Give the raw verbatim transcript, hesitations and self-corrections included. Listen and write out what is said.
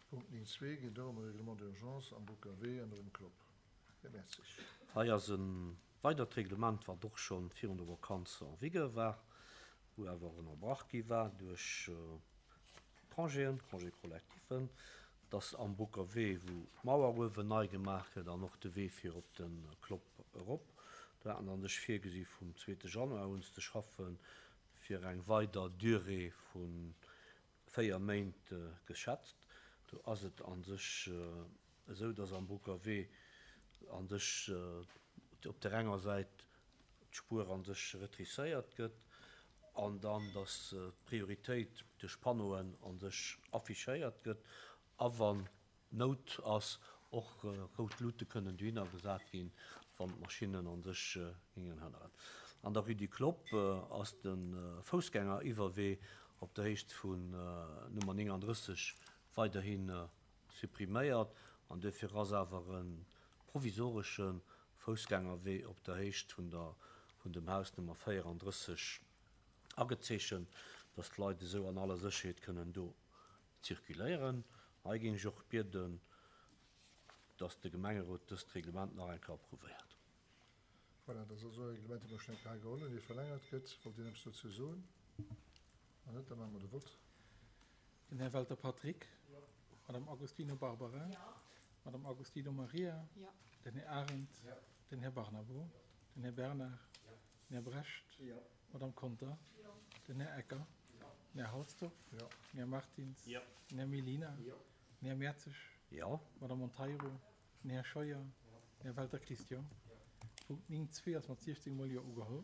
Punkt néng zwee geet och ëm e Règlement d'urgence am Boucker Wee an um Clopp. Här Mertzig. Hei ass e weidert Reglement, wat och scho virun der Vakanz en vigueur war, wou awer ënnerbrach gi war duerch Congéen, Congé collectifen, dass am Boucker Wee, wou d'Mauer uewen nei gemaach gëtt an och de Wee fir op de Clopp erop, do haten an sech virgesi vum zweete Januar un ze schaffen, fir eng weider Durée vu véier Méint geschätzt. Do ass et a sech esou, dass am Boucker Wee a sech op där enger Säit d'Spuer a sech retrisséiert gëtt an dann, dass d'Prioritéit duerch Panneauen a sech affichéiert gëtt a wann Nout ass, och rout Luute kënnen dohinner gesat ginn, wann d'Maschinnen a sech gingen hënneren. An der Rue du Clopp ass de Foussgängeriwwerwee op der Héicht vun Nummer néngandrësseg weiderhi suppriméiert an duerfir ass awer e provisoresche Foussgängerwee op der Héicht vun der vun dem Haus Nummer véierandrësseg agezeechent, dass d'Leit esou an aller Sécherheet kënnen do zirkuléieren. Hei géing ech och bieden, dass de Gemengerot dëst Reglement nach eng Kéier approuvéiert. Voilà, dat ass also e Reglement, dee mer schonn eng Kéier hei geholl hunn, dee verlängert gëtt. Wollt een eppes dozou soen? Wann net, da maache mer de Vott. Den Här Welter Patrick. Madame Agostino Barbara. Madame Agostino Maria. Den Här Arendt. Den Här Barnabo. Den Här Bernard. Den Här Brecht. Madame Conter. Den Här Ecker. Den Här Halsdorf. Den Här Martins. Den Här Mellina. Den Här Mertzig. Jo. Madame Monteiro. Den Här Scheuer. Den Här Welter Christian. Punkt néng zwee ass mat siechzéng mol Jo ugeholl.